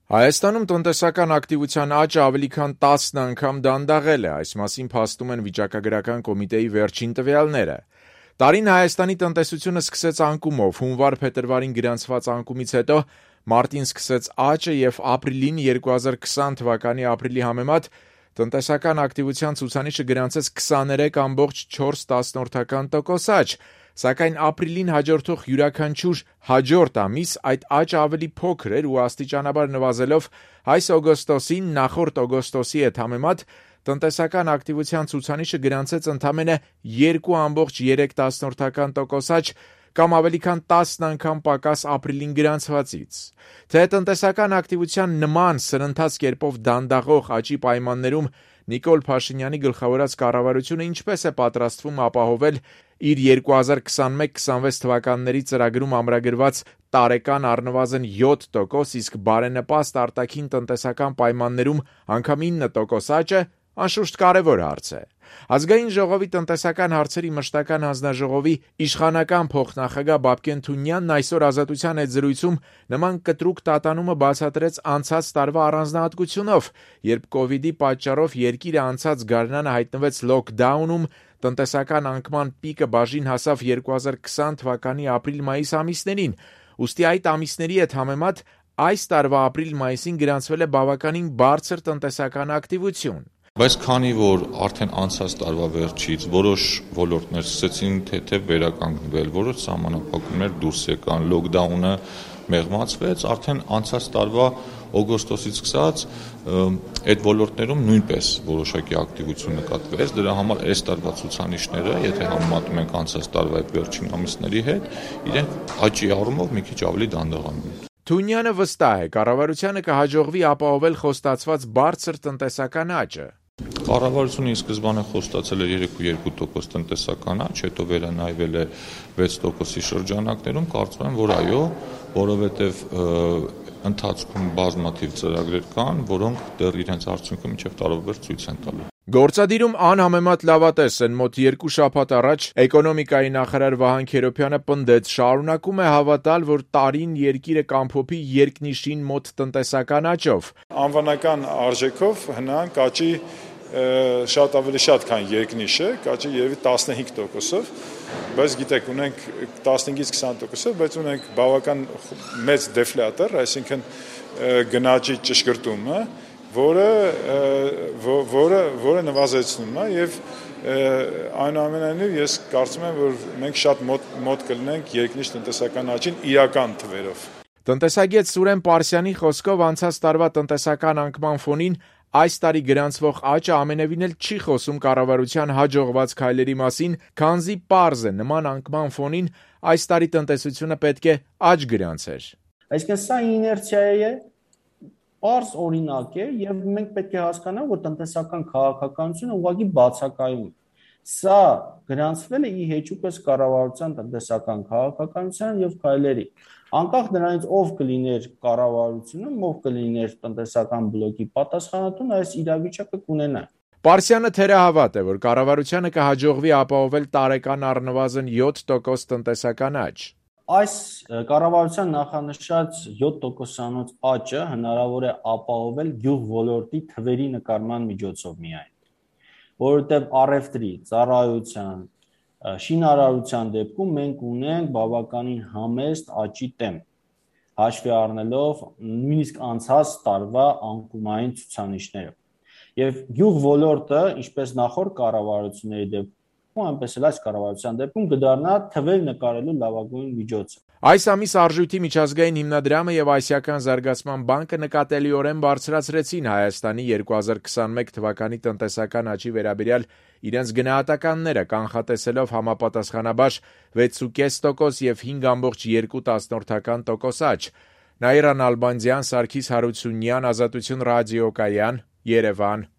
Հայաստանում տնտեսական ակտիվության աճը ավելի քան 10 անգամ դանդաղել է, այս մասին փաստում են վիճակագրական կոմիտեի վերջին տվյալները։ Տարին Հայաստանի տնտեսությունը սկսեց անկումով, հունվար-փետրվարին գրանցված անկումից հետո մարտին սկսեց աճը եւ ապրիլին 2020 թվականի ապրիլի համեմատ տնտեսական ակտիվության ցուցանիշը գրանցեց 23.4% աճ, սակայն ապրիլին հաջորդող յուրաքանչյուր հաջորդ ամիս այդ աճը ավելի փոքր էր ու աստիճանաբար նվազելով այս օգոստոսին նախորդ օգոստոսի հետ համեմատ տնտեսական ակտիվության ցուցանիշը գրանցեց ընդամենը 2.3% աճ կամ ավելի քան 10 անգամ պակաս ապրիլին գրանցվածից։ Թե տնտեսական ակտիվության նման սրընթաց կերպով դանդաղող աճի պայմաններում Նիկոլ Փաշինյանի գլխավորած կառավարությունը ինչպես է պատրաստվում ապահովել իր 2021-26 թվականների ծրագրում ամրագրված տարեկան առնվազն 7%, իսկ բարենպաստ արտաքին տնտեսական պայմաններում անգամ 9% աճը, անշուշտ կարևոր հարց է։ Ազգային ժողովի տնտեսական հարցերի մշտական հանձնաժողովի իշխանական փոխնախագահ Բաբկեն Թունյանն այսօր Ազատության հետ զրույցում նման կտրուկ տատանումը բացատրեց անցած տարվա առանձնահատկությունով, երբ կովիդի պատճառով երկիրը անցած գարնանը հայտնվեց լոքդաունում, տնտեսական անկման պիկը բաժին հասավ 2020 թվականի ապրիլ-մայիս ամիսներին, ուստի այդ ամիսների հետ համեմատ այս տարվա ապրիլ-մայիսին գրանցվել է բավականին բարձր տնտեսական ակտիվություն։ Բայց քանի որ արդեն անցած տարվա վերջից որոշ ոլորտներ սկսեցին թեթև վերականգնվել, որոշ սահմանափակումներ դուրս եկան, լոքդաունը մեղմացվեց, արդեն անցած տարվա օգոստոսից սկսած այդ ոլորտներում նույնպես որոշակի ակտիվություն նկատվեց, դրա համար այս տարվա ցուցանիշները, եթե համեմատում ենք անցած տարվա այդ վերջին ամիսների հետ, իրենք աճի առումով մի քիչ ավելի դանդաղանում են։ Թունյանը վստահ է, կառավարությանը կհաջողվի ապահովել խոստացված բարձր տնտեսական աճը։ Կառավարությունը ի սկզբանե խոստացել էր 3.2% տնտեսական աճ, հետո վերանայվել է 6%-ի շրջանակներում, կարծում եմ, որ այո, որովհետև ընթացքում բազմաթիվ ծրագրեր կան, որոնք դեռ իրենց արդյունքը մինչև տարեվերջ ցույց են տալու։ Գործադիրում անհամեմատ լավատես են մոտ 2 շաբաթ առաջ էկոնոմիկայի նախարար Վահան Քերոբյանը պնդեց, շարունակում է հավատալ, որ տարին երկիրը կամփոփի երկնիշին մոտ տնտեսական աճով։ Անվանական արժեքով հնանք աճի շատ ավելի շատ, քան երկնիշը, կաճի երևի 15%-ով, բայց գիտեք, ունենք 15-ից 20%-ով, բայց ունենք բավական մեծ դեֆլյատոր, այսինքն գնաճի ճշգրտումը, որը նվազեցնում է եւ այնուամենայնիվ ես կարծում եմ, որ մենք շատ մոտ կլինենք երկնիշ տնտեսական աճին իրական թվերով։ Տնտեսագետ Սուրեն Պարսյանի խոսքով անցած տարվա տնտեսական անկման ֆոնին այս տարի գրանցվող աճը ամենևին էլ չի խոսում կառավարության հաջողված քայլերի մասին, քանզի պարզ է նման անկման ֆոնին այս տարի տնտեսությունը պետք է աճ գրանցեր։ Այսինքն սա իներցիա է, պարզ օրինակ է եւ մենք պետք է հասկանանք, որ տնտեսական քաղաքականությունը ուղղակի բացակայում է։ Սա գրանցվել է ի հեճուկս կառավարության տնտեսական քաղաքականության եւ քայլերի։ Անկախ նրանից ով կլիներ կառավարությունում, ով կլիներ տնտեսական բլոկի պատասխանատուն, այս իրավիճակը կունենա։ Պարսյանը թերահավատ է, որ կառավարությանը կհաջողվի ապահովել տարեկան առնվազն 7% տնտեսական աճ։ Այս կառավարության նախանշած 7%-անոց աճը հնարավոր է ապահովել գյուղ ոլորտի թվերի նկարման միջոցով միայն, որովհետև առևտրի, ծառայության, շինարարության դեպքում մենք ունենք բավականին համեստ աճի տեմպ, հաշվի առնելով նույնիսկ անցած տարվա անկումային ցուցանիշները։ Եվ գյուղ ոլորտը, ինչպես նախորդ կառավարությունների դեպքում, այնպես էլ այս կառավարության դեպքում կդառնա թվեր նկարելու լավագույն միջոցը։ Այս ամիս Արժույթի միջազգային հիմնադրամը եւ Ասիական զարգացման բանկը նկատելիորեն բարձրացրեցին Հայաստանի 2021 թվականի տնտեսական աճի վերաբերյալ իրենց գնահատականները, կանխատեսելով համապատասխանաբար 6.5% եւ 5.2% աճ։ Նաիրա Նալբանդյան, Սարգիս Հարությունյան, Ազատություն ռադիոկայան, Երևան։